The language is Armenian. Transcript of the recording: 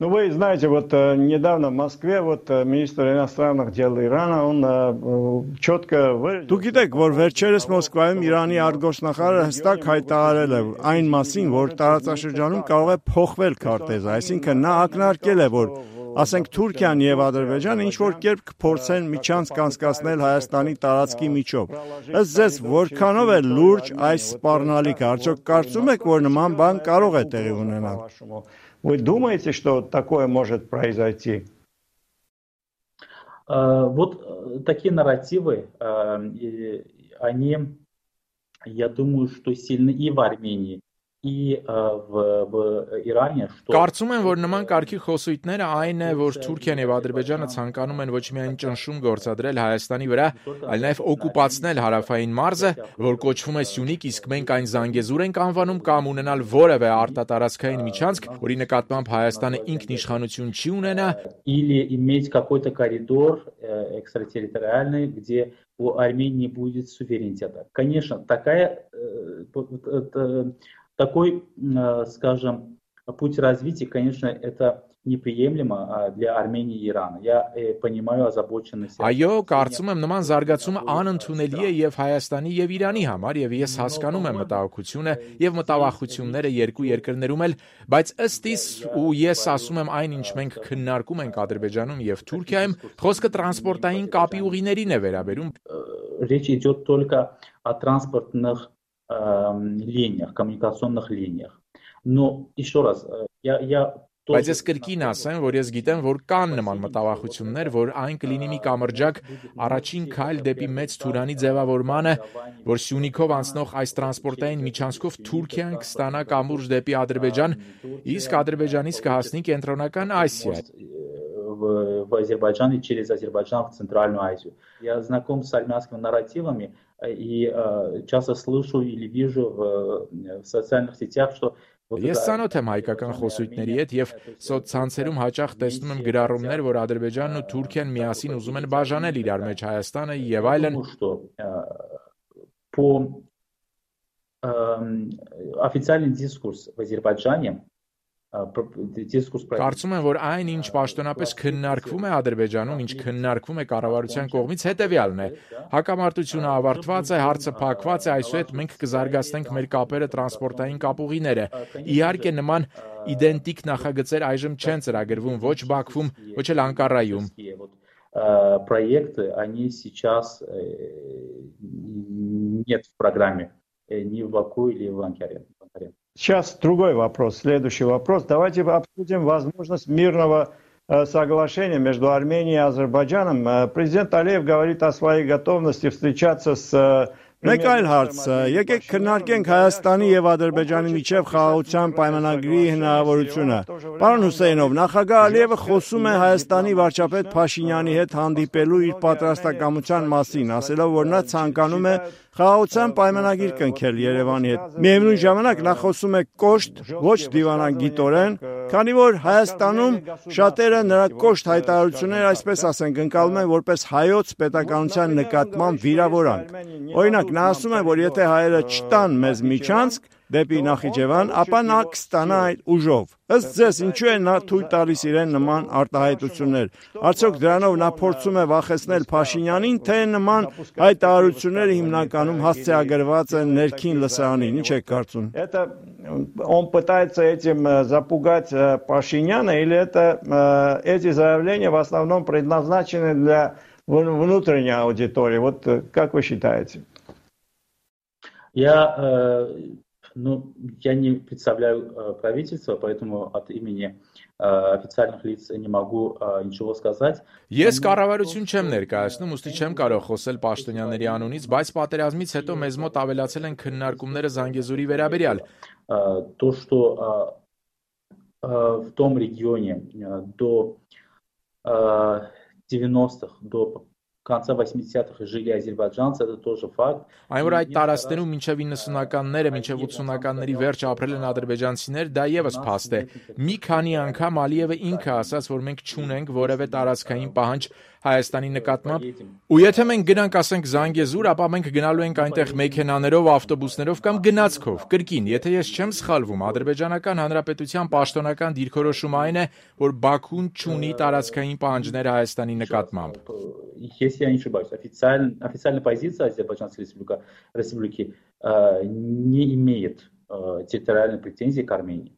Ну, вы знаете, вот недавно в Москве министр иностранных дел Ирана, он четко выразил... Դուք գիտեք, որ վերջերս Մոսկվայում Իրանի արտգործնախարարը հստակ հայտարարել է այն մասին, որ տարածաշրջանում կարող է փոխվել քարտեզը, այսինքն նա ակնարկել է, որ ասենք Թուրքիան եւ Ադրբեջանը ինչ-որ կերպ կփորձեն միջանցք անցկացնել Հայաստանի տարածքի միջով։ Ըստ ձեզ, որքանով է լուրջ այս սպառնալիքը, արդյոք կարծում եք, որ նման բան կարող է տեղի ունենալ։ Вы думаете, что такое может произойти? Вот такие нарративы, они, я думаю, что сильны и в Армении, и в Իրանը, что Կարծում եմ, որ նման կարգի խոսույթները այն է, որ Թուրքիան եւ Ադրբեջանը ցանկանում են ոչ միայն ճնշում գործադրել Հայաստանի վրա, այլ նաեւ օկուպացնել հարավային մարզը, որ կոչվում է Սյունիք, իսկ մենք այն Զանգեզուր ենք անվանում կամ ունենալ որևէ արտատարածքային միջանցք, որի նկատմամբ Հայաստանը ինքնիշխանություն չի ունենա, или иметь какой-то коридор экстратерриториальный, где у Армении будет суверенитета. Конечно, такой, скажем, путь развития, конечно, это неприемлемо для Армении и Ирана. Я понимаю озабоченность. Այո, կարծում եմ նման զարգացումը անընդունելի է եւ Հայաստանի եւ Իրանի համար եւ ես հասկանում եմ մտահոգությունը եւ մտավախությունները երկու երկրներում էլ, բայց ըստ իս ու ես ասում եմ այն, ինչ մենք քննարկում ենք Ադրբեջանում եւ Թուրքիայում, խոսքը տրանսպորտային կապի ուղիներին է վերաբերում։ Речь идет только о транспортных линиях, коммуникационных линиях. Но еще раз, я Բայց ես կրկին ասեմ, որ ես գիտեմ, որ կան նման մտավախություններ, որ այն կլինի մի կամրջակ առաջին քայլ դեպի մեծ Թուրանի ձևավորմանը, որ Սյունիքով անցնող այս տրանսպորտային միջանցքով Թուրքիան կստանա կամուրջ դեպի Ադրբեջան, իսկ Ադրբեջանից կհասնի կենտրոնական Ասիա։ В Азербайджан и через Азербайджан в Центральную Азию. Я знаком с армянскими нарративами и часто слышу или вижу в социальных сетях, что Ես ցանոթ եմ հայկական խոսույթների հետ եւ սոցցանցերում հաճախ տեսնում եմ գրառումներ, որ Ադրբեջանն ու Թուրքիան միասին ուզում են բաժանել իրար մեջ Հայաստանը եւ այլն։ По официальный дискурс в Азербайджане Կարծում եմ, որ այն, ինչ պաշտոնապես քննարկվում է Ադրբեջանում, ինչ քննարկվում է կառավարության կողմից, հետևյալն է. հակամարտությունը ավարտված է, հարցը փակված է, այսուհետ մենք կզարգացնենք մեր կապերը տրանսպորտային կապուղիները։ Իհարկե նման իդենտիկ նախագծեր այժմ չեն ծրագրվում ոչ Բաքվում, ոչ էլ Անկարայում։ Проекты, они сейчас нет в программе ни в Баку или в Анкаре. Сейчас другой вопрос, следующий вопрос. Давайте обсудим возможность мирного соглашения между Арменией и Азербайджаном. Президент Алиев говорит о своей готовности встречаться с... Մեկ այլ հարց, եկեք քննարկենք Հայաստանի եւ Ադրբեջանի միջև խաղաղության պայմանագրի հնարավորությունը։ Պարոն Հուսեյնով, նախագահ Ալիևը խոսում է Հայաստանի վարչապետ Փաշինյանի հետ հանդիպելու իր պատրաստակամության մասին, ասելով, որ նա ցանկանում է խաղաղության պայմանագիր կնքել Երևանի հետ։ Միևնույն ժամանակ նա խոսում է կոշտ, ոչ դիվանագիտորեն, քանի որ Հայաստանում շատերը նրա կոշտ հայտարարությունները, այսպես ասենք, ընկալում են որպես հայոց պետականության նկատմամբ վիրավորանք։ Օրինակ, նա ասում է, որ եթե հայերը չտան մեզ միջանցք դեպի Նախիջևան, ապա նա կստանա այդ ուժով։ Ըստ ձեզ, ինչու է նա թույլ տալիս իրեն նման արտահայտություններ։ Արդյոք դրանով նա փորձում է վախեցնել Փաշինյանին, թե նման հայտարարությունները հիմնականում հասցեագրված են ներքին լսարանին, ինչ եք կարծում։ Он пытается этим запугать Пашиняна, или эти заявления в основном предназначены для внутренней аудитории? Вот как вы считаете? Я не представляю правительство, поэтому от имени официальных лиц не могу ничего сказать. Ես կառավարություն չեմ ներկայացնում, ուստի չեմ կարող խոսել պաշտոնյաների անունից, բայց պատերազմից հետո մեզ մոտ ավելացել են քննարկումները Զանգեզուրի վերաբերյալ։ То, что в том регионе до 90-х, до конца 80-х жили азербайджанцы, это тоже факт. Այն որ այդ տարածքներում մինչև 90-ականները, մինչև 80-ականների վերջ ապրել են ադրբեջանցիներ, դա եւս փաստ է։ Մի քանի անգամ Ալիևը ինքը ասաց, որ մենք չունենք որևէ տարածքային պահանջ Հայաստանի նկատմամբ, ու եթե մենք գնանք, ասենք Զանգեզուր, ապա մենք գնալու ենք այնտեղ մեքենաներով, ավտոբուսներով կամ գնացքով։ Կրկին, եթե ես չեմ սխալվում, ադրբեջանական հանրապետության պաշտոնական դիրքորոշումը այն է, որ Բաքուն չունի տարածքային պահանջներ Հայաստանի նկատմամբ։ Если я не ошибаюсь, официальная позиция Азербайджанской республики не имеет территориальной претензии к Армении.